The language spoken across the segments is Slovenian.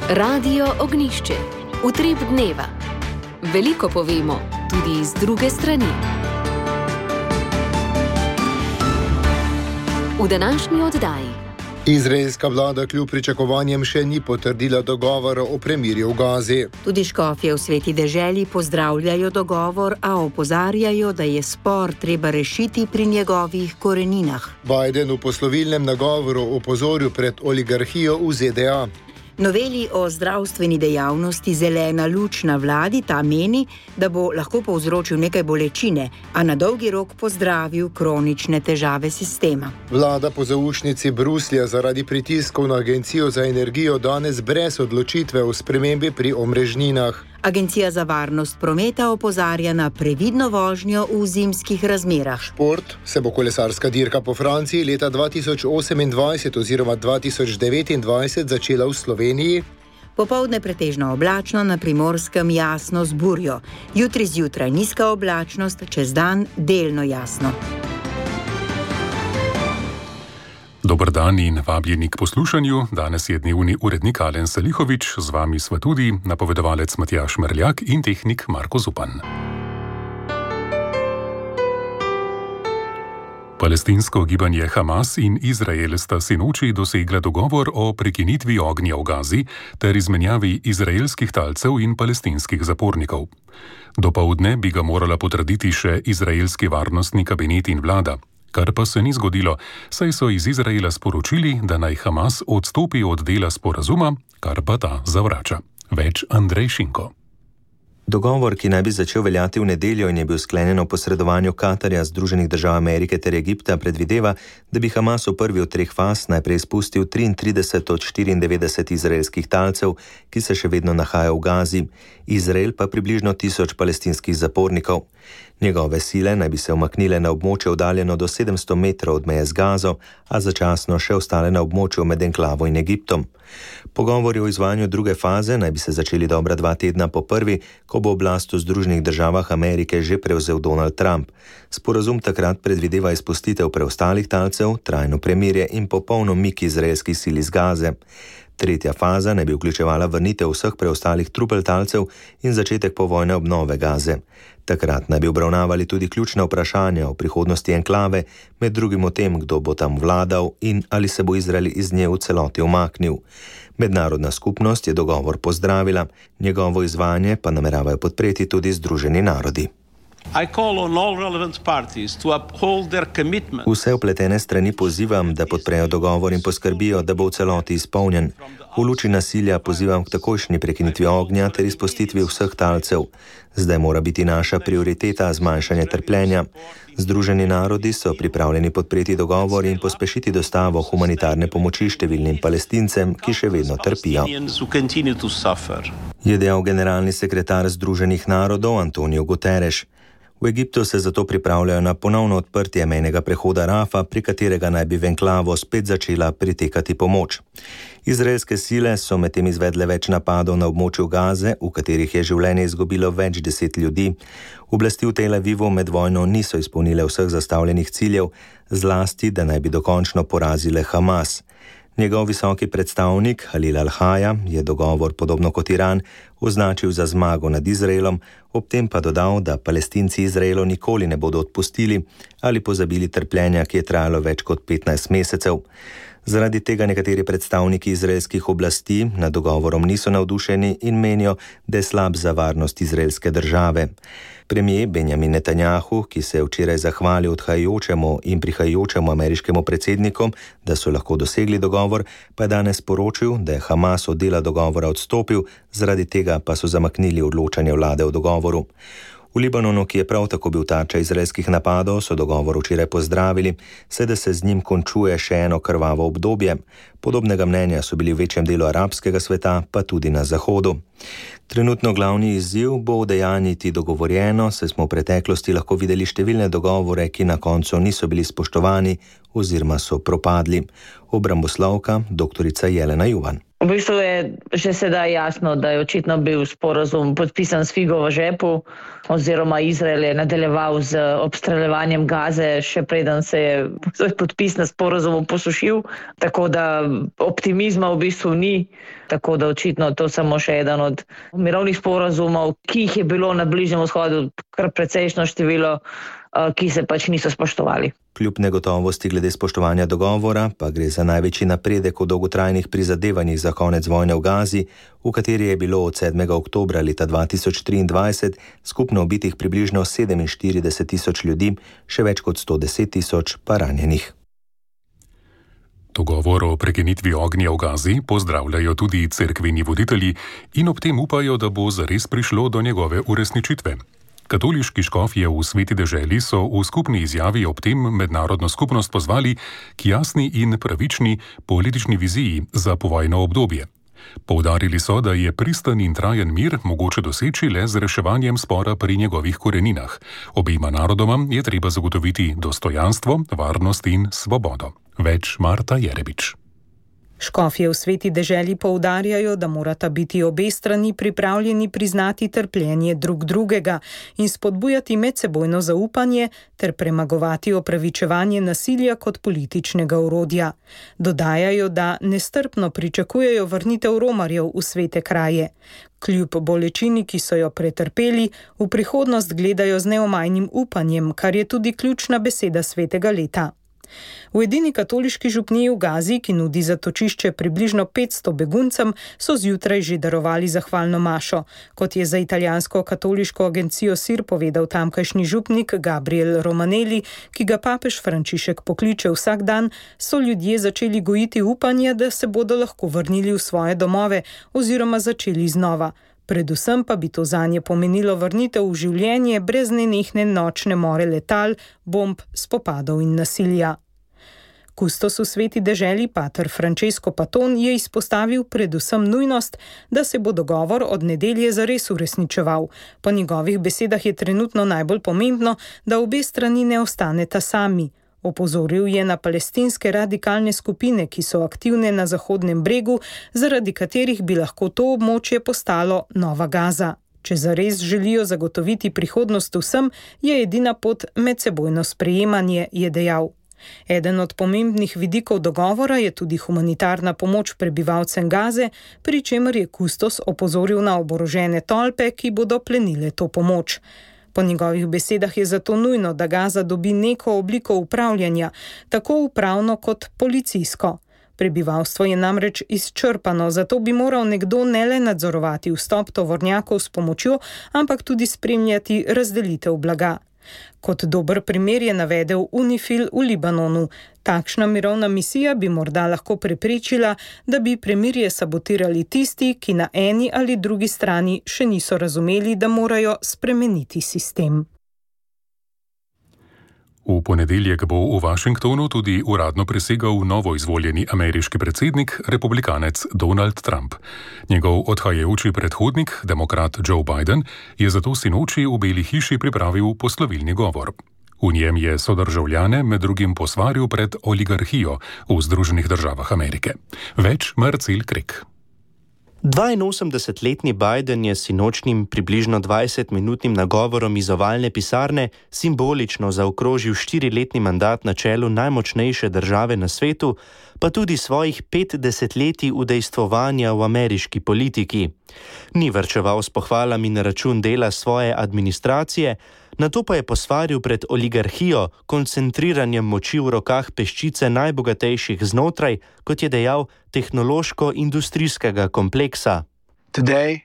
Radio Ognjišče. Utrip dneva. Veliko povemo, tudi iz druge strani. V današnji oddaji. Izraelska vlada kljub pričakovanjem še ni potrdila dogovora o premirju v Gazi. Tudi škofje v Sveti deželi pozdravljajo dogovor, a opozarjajo, da je spor treba rešiti pri njegovih koreninah. Biden v poslovilnem nagovoru opozoril pred oligarhijo v ZDA. Noveli o zdravstveni dejavnosti zelena luč na vladi, ta meni, da bo lahko povzročil nekaj bolečine, a na dolgi rok pozdravil kronične težave sistema. Vlada po zaušnici Bruslja zaradi pritiskov na Agencijo za energijo danes brez odločitve o spremembi pri omrežninah. Agencija za varnost prometa opozarja na previdno vožnjo v zimskih razmerah. Šport se bo kolesarska dirka po Franciji leta 2028 oziroma 2029 začela v Sloveniji. Popoldne pretežno oblačno, na Primorskem jasno z burjo. Jutri zjutraj nizka oblačnost, čez dan delno jasno. Dober dan in vabljeni k poslušanju. Danes je dnevni urednik Alen Salihovič, z vami sva tudi napovedovalec Matjaž Merljak in tehnik Marko Zupan. Palestinsko gibanje Hamas in Izrael sta sinoči dosegla dogovor o prekinitvi ognja v Gazi ter izmenjavi izraelskih talcev in palestinskih zapornikov. Dopoldne bi ga morala potrditi še izraelski varnostni kabinet in vlada. Kar pa se ni zgodilo, saj so iz Izraela sporočili, da naj Hamas odstopi od dela sporazuma, kar pa ta zavrača. Več Andrej Šinko. Dogovor, ki naj bi začel veljati v nedeljo in je bil sklenjen o posredovanju Katarja, Združenih držav Amerike ter Egipta, predvideva, da bi Hamas v prvi od 3 faz najprej spustil 33 od 94 izraelskih talcev, ki se še vedno nahajajo v Gazi, Izrael pa približno 1000 palestinskih zapornikov. Njegove sile naj bi se umaknile na območje oddaljeno do 700 metrov od meje z Gazo, a začasno še ostale na območju med enklavo in Egiptom. Pogovori o izvajanju druge faze naj bi se začeli dobra 2 tedna po prvi, ko bo oblast v Združenih državah Amerike že prevzel Donald Trump. Sporazum takrat predvideva izpustitev preostalih talcev, trajno premirje in popoln umik izraelskih sil iz Gaze. Tretja faza naj bi vključevala vrnitev vseh preostalih trupel talcev in začetek povojne obnove Gaze. Takrat naj bi obravnavali tudi ključna vprašanja o prihodnosti enklave, med drugim o tem, kdo bo tam vladal in ali se bo Izrael iz nje v celoti umaknil. Mednarodna skupnost je dogovor pozdravila, njegovo izvajanje pa nameravajo podpreti tudi Združeni narodi. Vse vpletene strani pozivam, da podprejo dogovor in poskrbijo, da bo v celoti izpolnjen. V luči nasilja pozivam k takojšnji prekinitvi ognja ter izpustitvi vseh talcev. Zdaj mora biti naša prioriteta zmanjšanje trpljenja. Združeni narodi so pripravljeni podpreti dogovor in pospešiti dostavo humanitarne pomoči številnim Palestincem, ki še vedno trpijo. Je dejal generalni sekretar Združenih narodov Antonio Guterres. V Egiptu se zato pripravljajo na ponovno odprtje mejnega prehoda Rafa, pri katerega naj bi v enklavo spet začela pritekati pomoč. Izraelske sile so medtem izvedle več napadov na območju Gaze, v katerih je življenje izgubilo več 10 ljudi. Oblasti v Tel Avivu med vojno niso izpolnile vseh zastavljenih ciljev, zlasti, da naj bi dokončno porazile Hamas. Njegov visoki predstavnik Halil al-Haja je dogovor, podobno kot Iran, označil za zmago nad Izraelom, ob tem pa dodal, da Palestinci Izraelu nikoli ne bodo odpustili ali pozabili trpljenja, ki je trajalo več kot 15 mesecev. Zaradi tega nekateri predstavniki izraelskih oblasti nad dogovorom niso navdušeni in menijo, da je slab za varnost izraelske države. Premier Benjamin Netanjahu, ki se je včeraj zahvalil odhajajočemu in prihajajočemu ameriškemu predsedniku, da so lahko dosegli dogovor, pa je danes poročil, da je Hamas od dela dogovora odstopil, zaradi tega pa so zamaknili odločanje vlade o dogovoru. V Libanonu, ki je prav tako bil tarča izraelskih napadov, so dogovor včeraj pozdravili, saj da se z njim končuje še eno krvavo obdobje. Podobnega mnenja so bili v večjem delu arabskega sveta, pa tudi na Zahodu. Trenutno glavni izziv bo udejanjiti dogovorjeno, saj smo v preteklosti lahko videli številne dogovore, ki na koncu niso bili spoštovani oziroma so propadli. Obramboslovka dr. Jelena Juvan. V bistvu je že sedaj jasno, da je očitno bil sporazum podpisan s figo v žepu, oziroma Izrael je nadaljeval z obstreljevanjem Gaze, še preden se je podpis na sporazumu posušil, tako da optimizma v bistvu ni, tako da očitno to samo še eden od mirovnih sporazumov, ki jih je bilo na Bližnjem vzhodu kar precejšno število, ki se pač niso spoštovali. Kljub negotovosti glede spoštovanja dogovora pa gre za največji napredek v dolgotrajnih prizadevanjih za konec vojne v Gazi, v kateri je bilo od 7. oktobra leta 2023 skupno ubitih približno 47.000 ljudi, še več kot 110.000 pa ranjenih. Dogovor o prekinitvi ognja v Gazi pozdravljajo tudi cerkveni voditelji in ob tem upajo, da bo zares prišlo do njegove uresničitve. Katoliški škofje v Sveti deželi so v skupni izjavi ob tem mednarodno skupnost pozvali k jasni in pravični politični viziji za povojno obdobje. Poudarili so, da je pristen in trajen mir mogoče doseči le z reševanjem spora pri njegovih koreninah. Obema narodoma je treba zagotoviti dostojanstvo, varnost in svobodo. Več Marta Jerebič. Škofje v Sveti deželi poudarjajo, da morata biti obe strani pripravljeni priznati trpljenje drug drugega in spodbujati medsebojno zaupanje ter premagovati opravičevanje nasilja kot političnega orodja. Dodajajo, da nestrpno pričakujejo vrnitev romarjev v svete kraje. Kljub bolečini, ki so jo pretrpeli, v prihodnost gledajo z neomajnim upanjem, kar je tudi ključna beseda svetega leta. V edini katoliški župniji v Gazi, ki nudi zatočišče približno 500 beguncem, so zjutraj že darovali zahvalno mašo. Kot je za italijansko katoliško agencijo SIR povedal tamkajšnji župnik Gabriel Romanelli, ki ga papež Frančišek pokliče vsak dan, so ljudje začeli gojiti upanje, da se bodo lahko vrnili v svoje domove oziroma začeli znova. Predvsem pa bi to zanje pomenilo vrnitev v življenje brez nenehne nočne more letal, bomb, spopadov in nasilja. Kustos v Sveti deželi pater Francesco Paton je izpostavil predvsem nujnost, da se bo dogovor od nedelje zares uresničeval. Po njegovih besedah je trenutno najbolj pomembno, da obe strani ne ostaneta sami. Opozoril je na palestinske radikalne skupine, ki so aktivne na Zahodnem bregu, zaradi katerih bi lahko to območje postalo nova Gaza. Če zares želijo zagotoviti prihodnost vsem, je edina pot medsebojno sprejemanje, je dejal. Eden od pomembnih vidikov dogovora je tudi humanitarna pomoč prebivalcem Gaze, pri čemer je kustos opozoril na oborožene tolpe, ki bodo plenile to pomoč. Po njegovih besedah je zato nujno, da Gaza dobi neko obliko upravljanja, tako upravno kot policijsko. Prebivalstvo je namreč izčrpano, zato bi moral nekdo ne le nadzorovati vstop tovornjakov s pomočjo, ampak tudi spremljati razdelitev blaga. Kot dober primer je navedel UNIFIL v Libanonu. Takšna mirovna misija bi morda lahko preprečila, da bi premirje sabotirali tisti, ki na eni ali drugi strani še niso razumeli, da morajo spremeniti sistem. V ponedeljek bo v Washingtonu tudi uradno prisegal novoizvoljeni ameriški predsednik, republikanec Donald Trump. Njegov odhajajoči predhodnik, demokrat Joe Biden, je zato sinoči v Beli hiši pripravil poslovilni govor. V njem je sodržavljane med drugim posvaril pred oligarhijo v Združenih državah Amerike. Več Marcel Krek. 82-letni Biden je sinočnim približno 20-minutnim nagovorom iz ovalne pisarne simbolično zaokrožil 4-letni mandat na čelu najmočnejše države na svetu, pa tudi svojih 5 desetletij udejstvovanja v ameriški politiki. Ni varčeval s pohvalami na račun dela svoje administracije, nato pa je posvaril pred oligarhijo, koncentriranjem moči v rokah peščice najbogatejših znotraj, kot je dejal, tehnološko-industrijskega kompleksa. Today,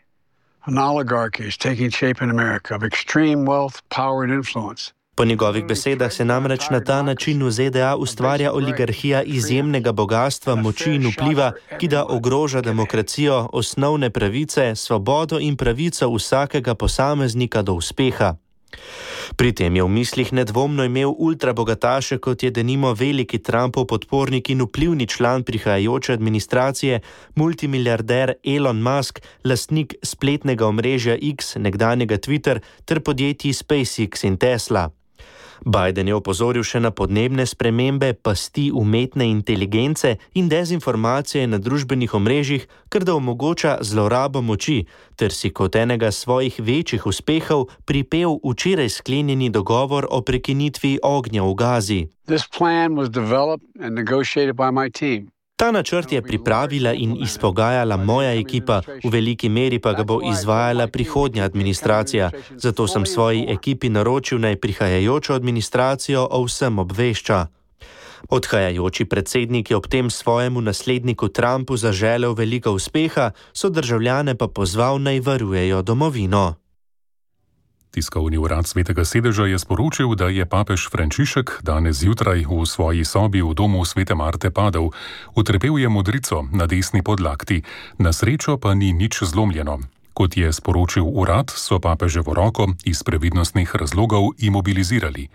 an oligarchy is taking shape in America of extreme wealth, power and influence. Po njegovih besedah se namreč na ta način v ZDA ustvarja oligarhija izjemnega bogastva, moči in vpliva, ki da ogroža demokracijo, osnovne pravice, svobodo in pravico vsakega posameznika do uspeha. Pri tem je v mislih nedvomno imel ultrabogataše, kot je denimo veliki Trumpov podpornik in vplivni član prihajajoče administracije, multimiliarder Elon Musk, lastnik spletnega omrežja X, nekdanjega Twitter, ter podjetij SpaceX in Tesla. Biden je opozoril še na podnebne spremembe, pasti umetne inteligence in dezinformacije na družbenih omrežjih, kar da omogoča zlorabo moči, ter si kot enega svojih večjih uspehov pripel včeraj sklenjeni dogovor o prekinitvi ognja v Gazi. This plan was developed and negotiated by my team. Ta načrt je pripravila in izpogajala moja ekipa, v veliki meri pa ga bo izvajala prihodnja administracija. Zato sem svoji ekipi naročil, naj prihajajočo administracijo o vsem obvešča. Odhajajoči predsednik je ob tem svojemu nasledniku Trumpu zaželel veliko uspeha, so državljane pa pozval, naj varujejo domovino. Tiskovni urad Svetega sedeža je sporočil, da je papež Frančišek danes zjutraj v svoji sobi v domu Svete Marte padel. Utrpel je modrico na desni podlakti, na srečo pa ni nič zlomljeno. Kot je sporočil urad, so papeževo roko iz previdnostnih razlogov imobilizirali.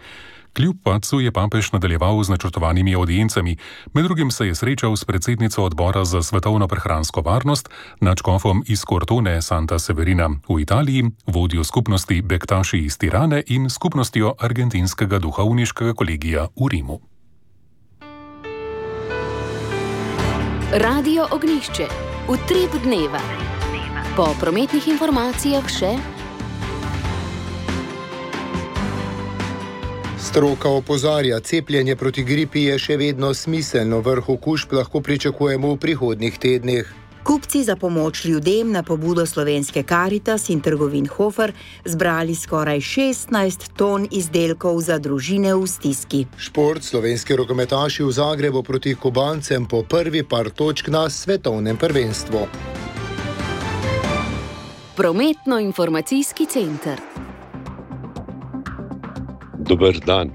Kljub padcu je papež nadaljeval z načrtovanimi audiencami, med drugim se je srečal s predsednico odbora za svetovno prehransko varnost, nadškofom iz Cortone Santa Severina v Italiji, vodjo skupnosti Bektaši iz Tirane in skupnostjo argentinskega duhovniškega kolegija v Rimu. Radio Ognjišče, utrip dneva. Po prometnih informacijah še Stroka opozarja, cepljenje proti gripi je še vedno smiselno, vrh okužb lahko pričakujemo v prihodnjih tednih. Kupci za pomoč ljudem na pobudo slovenske Karitas in trgovin Hofer zbrali skoraj 16 ton izdelkov za družine v stiski. Šport, slovenski rokometaši v Zagrebu proti Kubancem po prvi par točk na svetovnem prvenstvu. Prometno-informacijski center. Dober dan.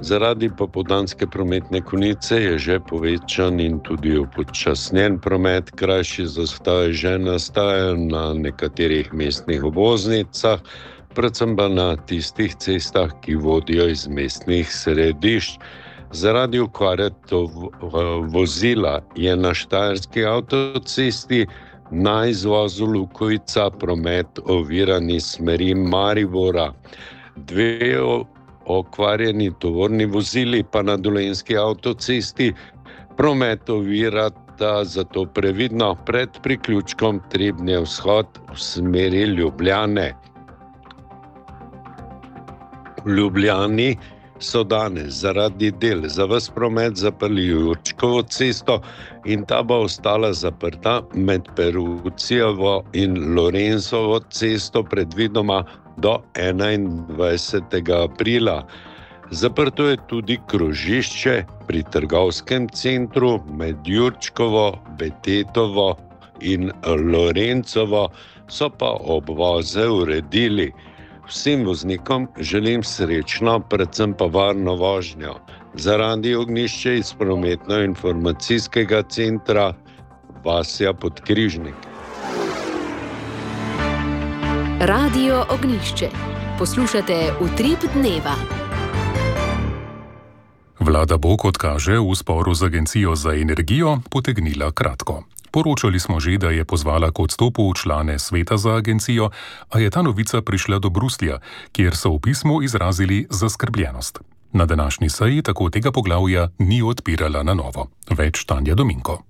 Zaradi popoldanske prometne konice je že povečan in tudi upočasnjen promet, krajši zastoji že nastajajo na nekaterih mestnih obvoznicah, predvsem pa na tistih cestah, ki vodijo iz mestnih središč. Zaradi okvare vozila je na štajerski avtocesti na izvozu Lukovica promet oviran iz smeri Maribora. Dve okvarjeni tovorni vozili pa na Dolenjski avtocesti promet ovirata, zato previdno pred priključkom Trebnje vzhod v smeri Ljubljane. V Ljubljani so danes zaradi del za ves promet zaprli Jurčkovo cesto in ta bo ostala zaprta med Perucijevo in Lorenzovo cesto predvidoma do 21. aprila. Zaprto je tudi krožišče pri trgovskem centru med Jurčkovo, Betetovo in Lorencovo, so pa obvoze uredili. Vsem voznikom želim srečno, predvsem pa varno vožnjo. Za Radio Ognjišče iz prometno-informacijskega centra Vasja Podkrižnik. Radio Ognjišče. Poslušate utrip dneva. Vlada bo, kot kaže, v sporu z Agencijo za energijo potegnila kratko. Poročali smo že, da je pozvala k odstopu člane sveta za agencijo, a je ta novica prišla do Bruslja, kjer so v pismu izrazili zaskrbljenost. Na današnji seji tako tega poglavja ni odpirala na novo. Več Tanja Dominko.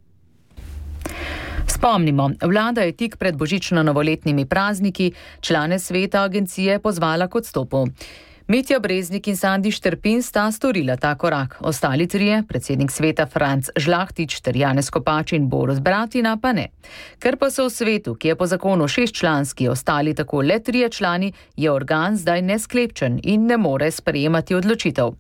Spomnimo, vlada je tik pred božično-novoletnimi prazniki člane sveta agencije pozvala k odstopu. Mitja Breznik in Sandi Šterpin sta storila ta korak. Ostali trije, predsednik sveta Franc Žlahtič ter Janez Kopač in Borut Bratina, pa ne. Ker pa so v svetu, ki je po zakonu 6-članski, ostali tako le 3 člani, je organ zdaj nesklepčen in ne more sprejemati odločitev.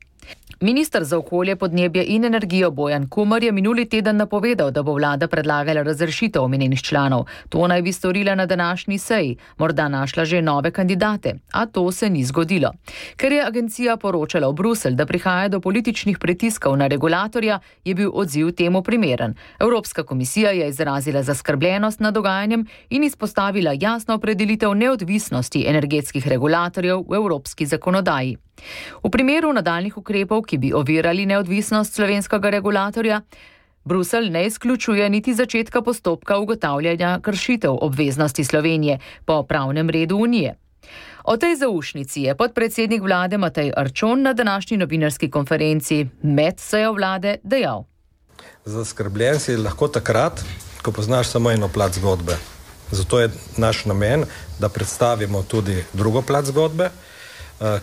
Minister za okolje, podnebje in energijo Bojan Kumer je minuli teden napovedal, da bo vlada predlagala razrešitev omenjenih članov. To naj bi storila na današnji seji, morda našla že nove kandidate, a to se ni zgodilo. Ker je agencija poročala v Bruselj, da prihaja do političnih pritiskov na regulatorja, je bil odziv temu primeren. Evropska komisija je izrazila zaskrbljenost nad dogajanjem in izpostavila jasno opredelitev neodvisnosti energetskih regulatorjev v evropski zakonodaji. V primeru nadaljnih ukrepov, ki bi ovirali neodvisnost slovenskega regulatorja, Bruselj ne izključuje niti začetka postopka ugotavljanja kršitev obveznosti Slovenije po pravnem redu Unije. O tej zaušnici je podpredsednik vlade Matej Arčon na današnji novinarski konferenci med sejo vlade dejal. Zaskrbljen si lahko takrat, ko poznaš samo eno plat zgodbe. Zato je naš namen, da predstavimo tudi drugo plat zgodbe,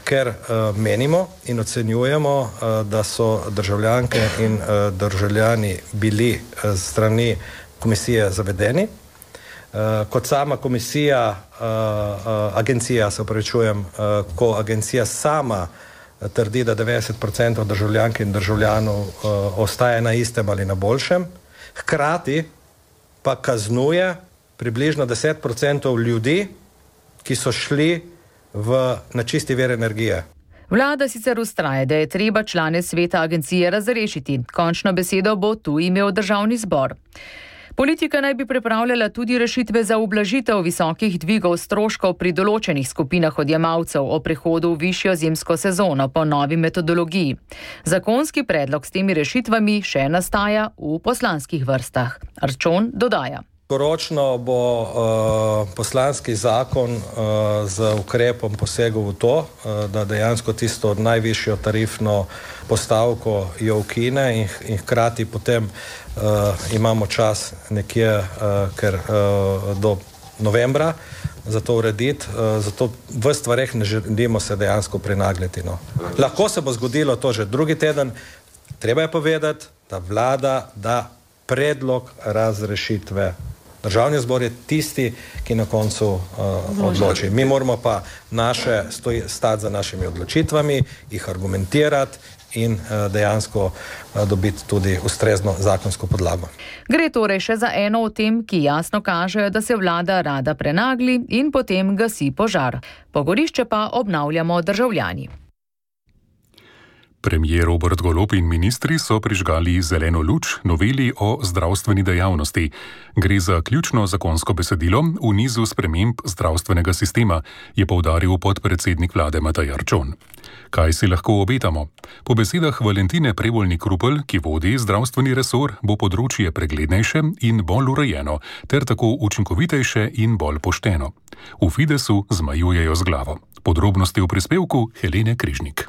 ker menimo in ocenjujemo, da so državljanke in državljani bili z strani komisije zavedeni. Kot sama ko agencija sama trdi, da 90% državljank in državljanov ostaje na istem ali na boljšem, hkrati pa kaznuje približno 10% ljudi, ki so šli na čisti vir energije. Vlada sicer vztraja, da je treba člane sveta agencije razrešiti. Končno besedo bo tu imel državni zbor. Politika naj bi pripravljala tudi rešitve za ublažitev visokih dvigov stroškov pri določenih skupinah odjemalcev o prehodu v višjo zimsko sezono po novi metodologiji. Zakonski predlog s temi rešitvami še nastaja v poslanskih vrstah. Arčon dodaja. Koročno bo poslanski zakon z ukrepom posegel v to, da dejansko tisto najvišjo tarifno postavko jo ukine in hkrati potem imamo čas nekje do novembra za to urediti, zato v stvareh ne želimo se dejansko prenagljati. Lahko se bo zgodilo to že drugi teden, treba je povedati, da vlada da predlog razrešitve. Državni zbor je tisti, ki na koncu odloči. Mi moramo pa stati za našimi odločitvami, jih argumentirati in dejansko dobiti tudi ustrezno zakonsko podlago. Gre torej še za eno od tem, ki jasno kažejo, da se vlada rada prenagli in potem gasi požar. Pogorišče pa obnavljamo državljani. Premier Robert Golob in ministri so prižgali zeleno luč noveli o zdravstveni dejavnosti. Gre za ključno zakonsko besedilo v nizu sprememb zdravstvenega sistema, je poudaril podpredsednik vlade Matej Arčon. Kaj si lahko obetamo? Po besedah Valentine Prevolnik-Rupel, ki vodi zdravstveni resor, bo področje preglednejše in bolj urejeno, ter tako učinkovitejše in bolj pošteno. V Fidesu zmajujejo z glavo. Podrobnosti v prispevku Helene Križnik.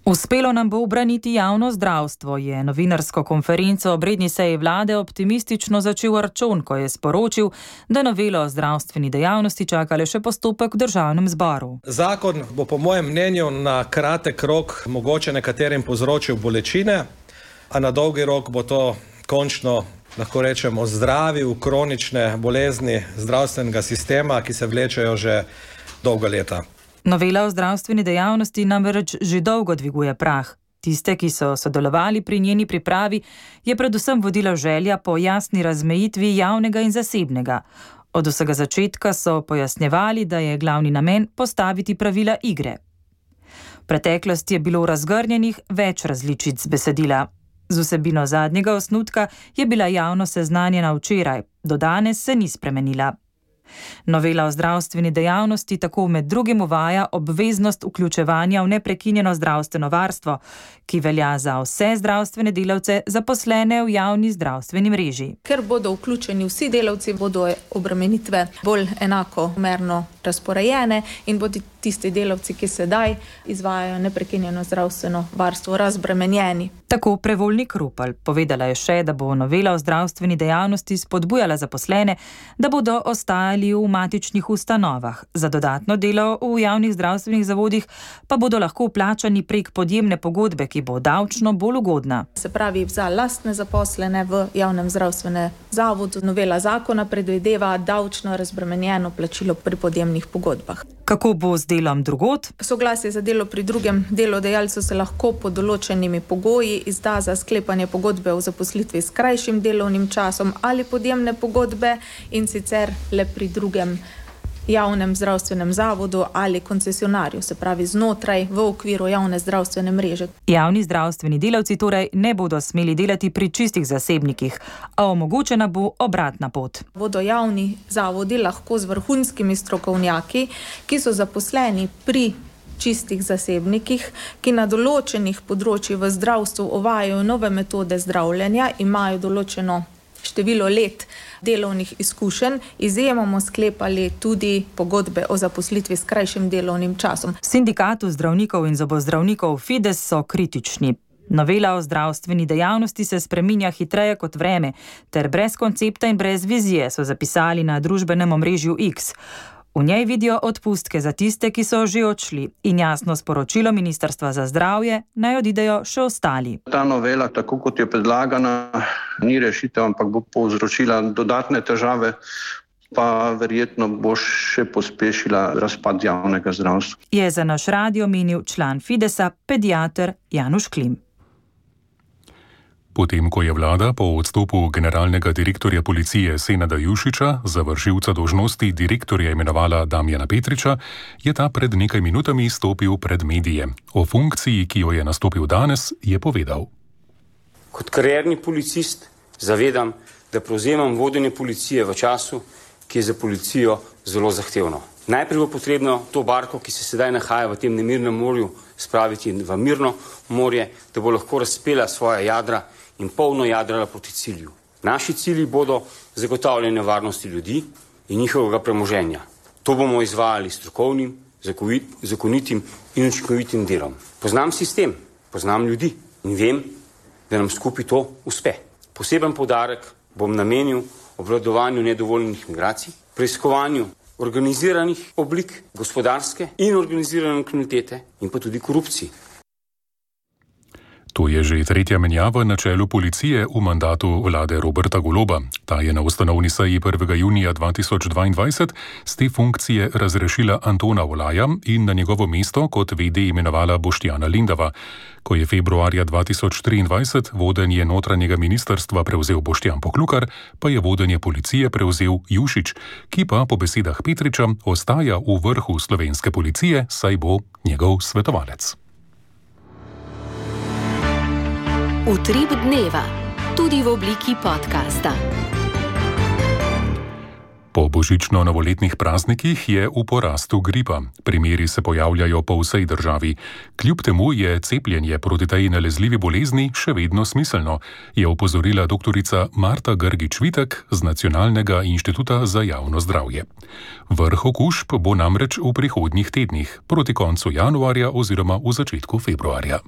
Uspelo nam bo ubraniti javno zdravstvo, je novinarsko konferenco ob redni seji vlade optimistično začel Arčon, ko je sporočil, da novelo o zdravstveni dejavnosti čaka le še postopek v državnem zboru. Zakon bo po mojem mnenju na kratek rok mogoče nekaterim povzročil bolečine, a na dolgi rok bo to končno, lahko rečemo, ozdravil kronične bolezni zdravstvenega sistema, ki se vlečejo že dolga leta. Novela o zdravstveni dejavnosti namreč že dolgo dviguje prah. Tiste, ki so sodelovali pri njeni pripravi, je predvsem vodila želja po jasni razmejitvi javnega in zasebnega. Od vsega začetka so pojasnjevali, da je glavni namen postaviti pravila igre. V preteklosti je bilo razgrnjenih več različic besedila. Z vsebino zadnjega osnutka je bila javnost seznanjena včeraj, do danes se ni spremenila. Novela o zdravstveni dejavnosti tako med drugim uvaja obveznost vključevanja v neprekinjeno zdravstveno varstvo, ki velja za vse zdravstvene delavce zaposlene v javni zdravstveni mreži. Ker bodo vključeni vsi delavci, bodo obremenitve bolj enakomerno razporejene in bodo tisti delavci, ki sedaj izvajajo neprekinjeno zdravstveno varstvo, razbremenjeni. Tako Prevolnik-Rupel. Povedala je še, da bo novela o zdravstveni dejavnosti spodbujala zaposlene, da bodo ostajali v matičnih ustanovah. Za dodatno delo v javnih zdravstvenih zavodih pa bodo lahko plačani prek podjemne pogodbe, ki bo davčno bolj ugodna. Se pravi, za lastne zaposlene v javnem zdravstvenem zavodu novela zakona predvideva davčno razbremenjeno plačilo pri podjemnih pogodbah. Kako bo z delom drugod? Soglasje za delo pri drugem delodajalcu se lahko pod določenimi pogoji izda za sklepanje pogodbe o zaposlitvi s krajšim delovnim časom ali podjemne pogodbe, in sicer le pri drugem javnem zdravstvenem zavodu ali koncesionarju, se pravi znotraj v okviru javne zdravstvene mreže. Javni zdravstveni delavci torej ne bodo smeli delati pri čistih zasebnikih, a omogočena bo obratna pot. Bodo javni zavodi lahko z vrhunskimi strokovnjaki, ki so zaposleni pri čistih zasebnikih, ki na določenih področjih v zdravstvu uvajajo nove metode zdravljenja, imajo določeno število let delovnih izkušenj, izjemoma sklepali tudi pogodbe o zaposlitvi s krajšim delovnim časom. V sindikatu zdravnikov in zobozdravnikov Fides so kritični. Novela o zdravstveni dejavnosti se spreminja hitreje kot vreme, ter brez koncepta in brez vizije, so zapisali na družbenem omrežju X. V njej vidijo odpustke za tiste, ki so že odšli, in jasno sporočilo Ministrstva za zdravje, naj odidejo še ostali. Ta novela, tako kot je predlagana, ni rešitev, ampak bo povzročila dodatne težave, pa verjetno bo še pospešila razpad javnega zdravstva. Je za naš radio menil član Fidesa, pediater Januš Klim. Potem, ko je vlada po odstopu generalnega direktorja policije Senada Jušića za vršilca dolžnosti direktorja imenovala Damjana Petriča, je ta pred nekaj minutami stopil pred medije. O funkciji, ki jo je nastopil danes, je povedal. Kot karierni policist zavedam, da prevzemam vodenje policije v času, ki je za policijo zelo zahtevno. Najprej bo potrebno to barko, ki se sedaj nahaja v tem nemirnem morju, spraviti v mirno morje, da bo lahko razpela svoja jadra in polno jadrala proti cilju. Naši cilji bodo zagotavljanje varnosti ljudi in njihovega premoženja. To bomo izvajali strokovnim, zakonitim in učinkovitim delom. Poznam sistem, poznam ljudi in vem, da nam skupaj to uspe. Poseben poudarek bom namenil obvladovanju nedovoljenih migracij, preiskovanju organiziranih oblik gospodarske in organizirane kriminalitete in pa tudi korupciji. To je že tretja menjava na čelu policije v mandatu vlade Roberta Goloba. Ta je na ustanovni seji 1. junija 2022 z te funkcije razrešila Antona Olaja in na njegovo mesto kot VD imenovala Boštjana Lindava. Ko je februarja 2023 vodenje notranjega ministrstva prevzel Boštjan Poklukar, pa je vodenje policije prevzel Jušić, ki pa po besedah Petriča ostaja v vrhu slovenske policije, saj bo njegov svetovalec. Utrip dneva, tudi v obliki podcasta. Po božično-novoletnih praznikih je v porastu gripa. Primeri se pojavljajo po vsej državi. Kljub temu je cepljenje proti tej nalezljivi bolezni še vedno smiselno, je opozorila doktorica Marta Grgič-Vitek z Nacionalnega inštituta za javno zdravje. Vrh okužb bo namreč v prihodnjih tednih, proti koncu januarja oziroma v začetku februarja.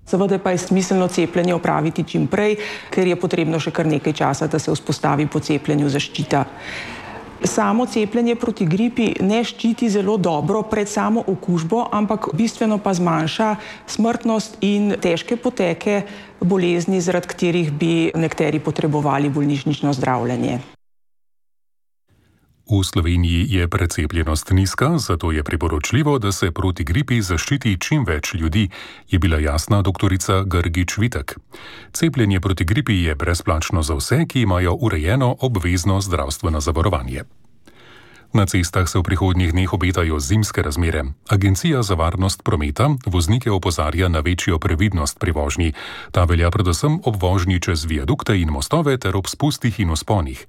Seveda pa je smiselno cepljenje opraviti čim prej, ker je potrebno še kar nekaj časa, da se vzpostavi po cepljenju zaščita. Samo cepljenje proti gripi ne ščiti zelo dobro pred samo okužbo, ampak bistveno pa zmanjša smrtnost in težke poteke bolezni, zaradi katerih bi nekateri potrebovali bolnišnično zdravljenje. V Sloveniji je precepljenost nizka, zato je priporočljivo, da se proti gripi zaščiti čim več ljudi, je bila jasna doktorica Grgič-Vitek. Cepljenje proti gripi je brezplačno za vse, ki imajo urejeno obvezno zdravstveno zavarovanje. Na cestah se v prihodnjih dneh obetajo zimske razmere. Agencija za varnost prometa voznike opozarja na večjo previdnost pri vožnji. Ta velja predvsem ob vožnji čez viadukte in mostove ter ob spustih in vzponih.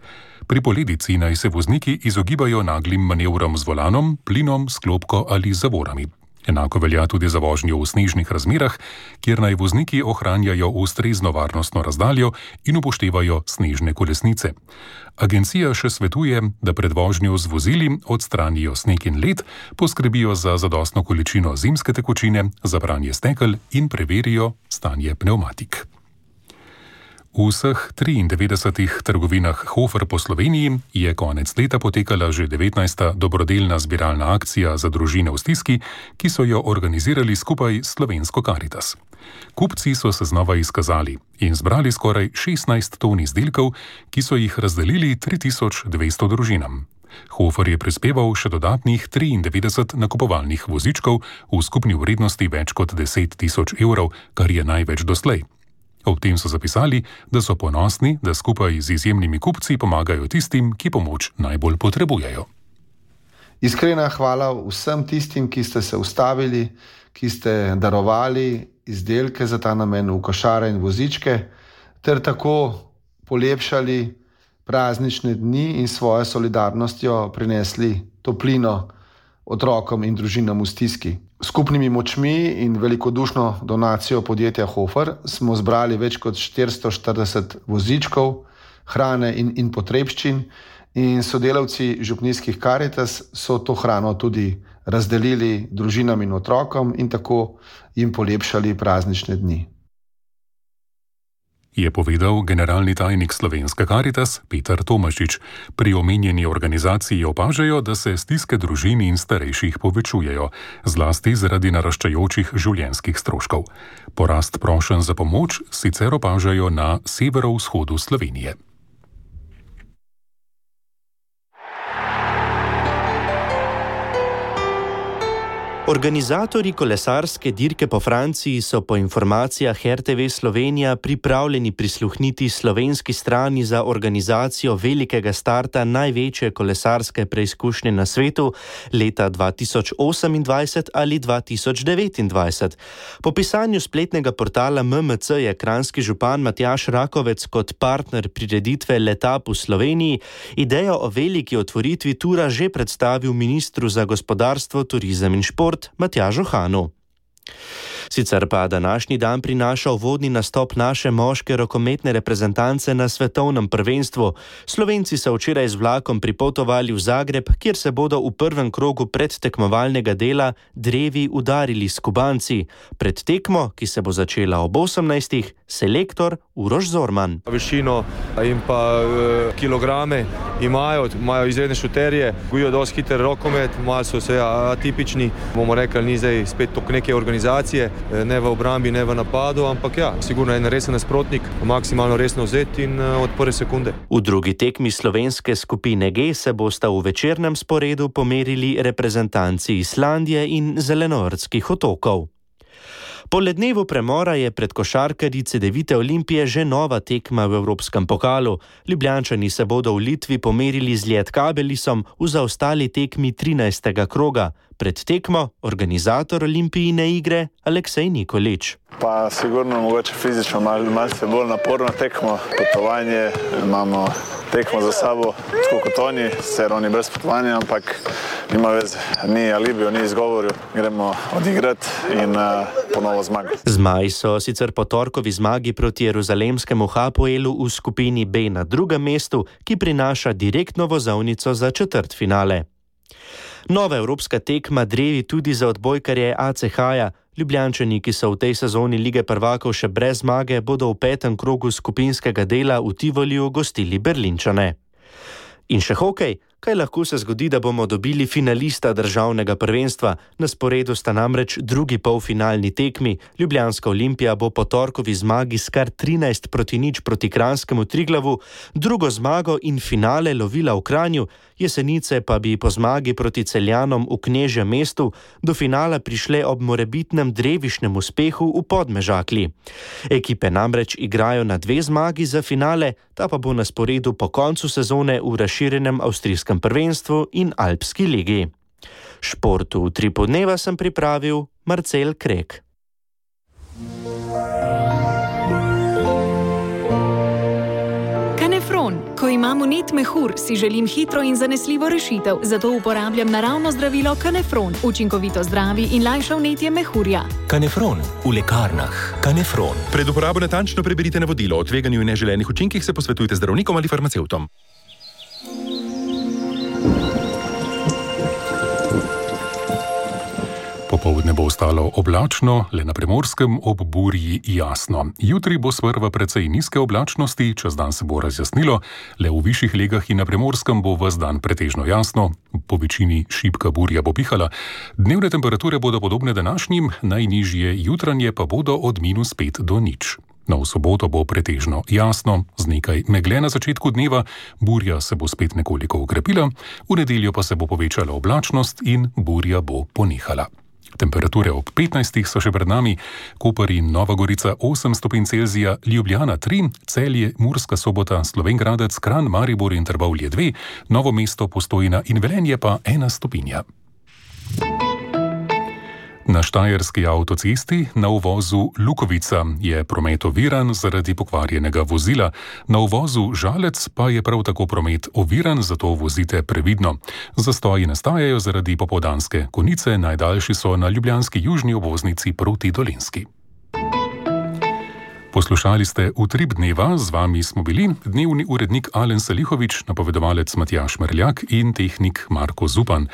Pri poledici naj se vozniki izogibajo naglim manevrom z volanom, plinom, sklopko ali zavorami. Enako velja tudi za vožnjo v snežnih razmerah, kjer naj vozniki ohranjajo ustrezno varnostno razdaljo in upoštevajo snežne kolesnice. Agencija še svetuje, da pred vožnjo z vozili odstranijo sneg in led, poskrbijo za zadostno količino zimske tekočine, za pranje stekel in preverijo stanje pnevmatik. V vseh 93 trgovinah Hofer po Sloveniji je konec leta potekala že 19. dobrodelna zbiralna akcija za družine v stiski, ki so jo organizirali skupaj s Slovensko Karitas. Kupci so se znova izkazali in zbrali skoraj 16 ton izdelkov, ki so jih razdelili 3200 družinam. Hofer je prispeval še dodatnih 93 nakupovalnih vozičkov v skupni vrednosti več kot 10 000 evrov, kar je največ doslej. Ob tem so zapisali, da so ponosni, da skupaj z izjemnimi kupci pomagajo tistim, ki pomoč najbolj potrebujejo. Iskrena hvala vsem tistim, ki ste se ustavili, ki ste darovali izdelke za ta namen v košare in vozičke, ter tako polepšali praznične dni in svojo solidarnostjo prinesli toplino otrokom in družinam v stiski. Skupnimi močmi in velikodušno donacijo podjetja Hofer smo zbrali več kot 440 vozičkov, hrane in potrebščin in sodelavci župnijskih Karitas so to hrano tudi razdelili družinam in otrokom in tako jim polepšali praznične dni. Je povedal generalni tajnik Slovenske Karitas Peter Tomašič. Pri omenjeni organizaciji opažajo, da se stiske družin in starejših povečujejo, zlasti zaradi naraščajočih življenjskih stroškov. Porast prošenj za pomoč sicer opažajo na severovzhodu Slovenije. Organizatorji kolesarske dirke po Franciji so po informacijah RTV Slovenija pripravljeni prisluhniti slovenski strani za organizacijo velikega starta največje kolesarske preizkušnje na svetu leta 2028 ali 2029. Po pisanju spletnega portala MMC je kranjski župan Matjaž Rakovec kot partner prireditve Letap v Sloveniji idejo o veliki otvoritvi tura že predstavil ministru za gospodarstvo, turizem in šport Matjažu Hanu. Sicer pa današnji dan prinaša uvodni nastop naše moške rokometne reprezentance na svetovnem prvenstvu. Slovenci so včeraj z vlakom pripotovali v Zagreb, kjer se bodo v prvem krogu predtekmovalnega dela drevi udarili s Kubanci. Pred tekmo, ki se bo začela ob 18. selektor Uroš Zorman. Višino in pa kilograme imajo izredne šuterje, gojijo dosti hiter rokomet, malo so se atipični, bomo rekli, ni zdaj spet tok neke organizacije, ne v obrambi, ne v napadu, ampak ja, sigurno en resen nasprotnik, maksimalno resno vzeti in od prve sekunde. V drugi tekmi slovenske skupine G se bosta v večernem sporedu pomerili reprezentanci Islandije in Zelenortskih otokov. Po lednevu premora je pred košarkarji Cedevite Olimpije že nova tekma v Evropskem pokalu. Ljubljančani se bodo v Litvi pomerili z Lietkabelisom v zaostali tekmi 13. kroga. Pred tekmo organizator Olimpijine igre Aleksej Nikolič. Pa sigurno mogoče fizično malce bolj naporno tekmo, potovanje, imamo tekmo za sabo, tako kot oni, sicer oni brez potovanja, ampak nima veze, ni alibijo, ni izgovoril, gremo odigrati in ponovo zmagati. Zmaji so sicer po torkovi zmagi proti jeruzalemskemu Hapoelu v skupini B na drugem mestu, ki prinaša direktno vozovnico za četrtfinale. Nova evropska tekma drevi tudi za odbojkarje ACH-ja. Ljubljančani, ki so v tej sezoni Lige prvakov še brez zmage, bodo v petem krogu skupinskega dela v Tivoliju gostili Berlinčane. In še hokej. Kaj lahko se zgodi, da bomo dobili finalista državnega prvenstva? Na sporedu sta namreč drugi polfinalni tekmi. Ljubljanska Olimpija bo po torkovi zmagi s kar 13:0 proti kranjskemu Triglavu, drugo zmago in finale lovila v Kranju, Jesenice pa bi po zmagi proti Celjanom v Knežjem mestu do finala prišle ob morebitnem drevišnem uspehu v Podmežakli. Ekipe namreč igrajo na 2 zmagi za finale, ta pa bo na sporedu po koncu sezone v razširjenem avstrijskem prvenstvu in Alpski ligi. Športu v 3 podneva sem pripravil Marcel Krek. Ko imam vnet mehur, si želim hitro in zanesljivo rešitev, zato uporabljam naravno zdravilo Kanefron. Učinkovito zdravi in lajša vnetje mehurja. Kanefron v lekarnah. Kanefron. Pred uporabo natančno preberite navodilo o tveganju in neželenih učinkih, se posvetujte z zdravnikom ali farmacevtom. Popoldne bo ostalo oblačno, le na Primorskem ob burji jasno. Jutri bo sprva precej nizke oblačnosti, čez dan se bo razjasnilo, le v višjih legah in na Primorskem bo ves dan pretežno jasno, po večini šibka burja bo pihala. Dnevne temperature bodo podobne današnjim, najnižje jutranje pa bodo od -5 do 0. No, v soboto bo pretežno jasno, z nekaj megle na začetku dneva, burja se bo spet nekoliko okrepila, v nedeljo pa se bo povečala oblačnost in burja bo ponehala. Temperature ob 15 so še pred nami, Koper in Nova Gorica 8 stopinj Celzija, Ljubljana 3, Celje, Murska Sobota, Slovenj Gradec, Kranj, Maribor in Trbovlje 2, Novo mesto, Postojna in Velenje pa 1 stopinja. Na štajerski avtocesti na uvozu Lukovica je promet oviran zaradi pokvarjenega vozila, na uvozu Žalec pa je prav tako promet oviran, zato vozite previdno. Zastoji nastajajo zaradi popoldanske konice, najdaljši so na ljubljanski južni obvoznici proti Dolenjski. Poslušali ste Utrip dneva, z vami smo bili dnevni urednik Alen Salihovič, napovedovalec Matjaž Merljak in tehnik Marko Zupan.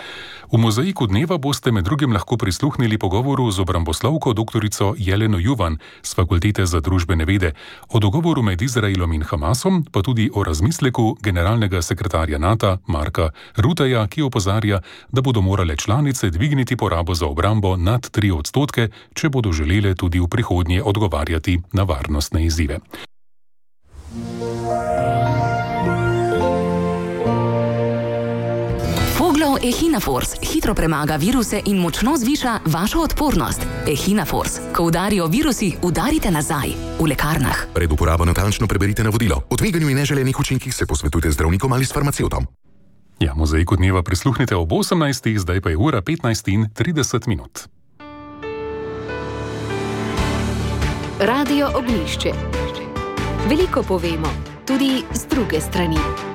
V mozaiku dneva boste med drugim lahko prisluhnili pogovoru z obramboslovko doktorico Jeleno Juvan z Fakultete za družbene vede, o dogovoru med Izraelom in Hamasom, pa tudi o razmisleku generalnega sekretarja NATO Marka Rutteja, ki opozarja, da bodo morale članice dvigniti porabo za obrambo nad 3%, če bodo želele tudi v prihodnje odgovarjati na varnostne izzive. Echinafors hitro premaga viruse in močno zviša vašo odpornost. Echinafors. Ko udarijo virusi, udarite nazaj. V lekarnah. Pred uporabo natančno preberite navodilo. O tveganju in neželenih učinkih se posvetujte z zdravnikom ali s farmacevtom. Ja, mozaiku dneva prisluhnite ob 18. Zdaj pa je ura 15:30. Radio Ognjišče. Veliko povemo, tudi z druge strani.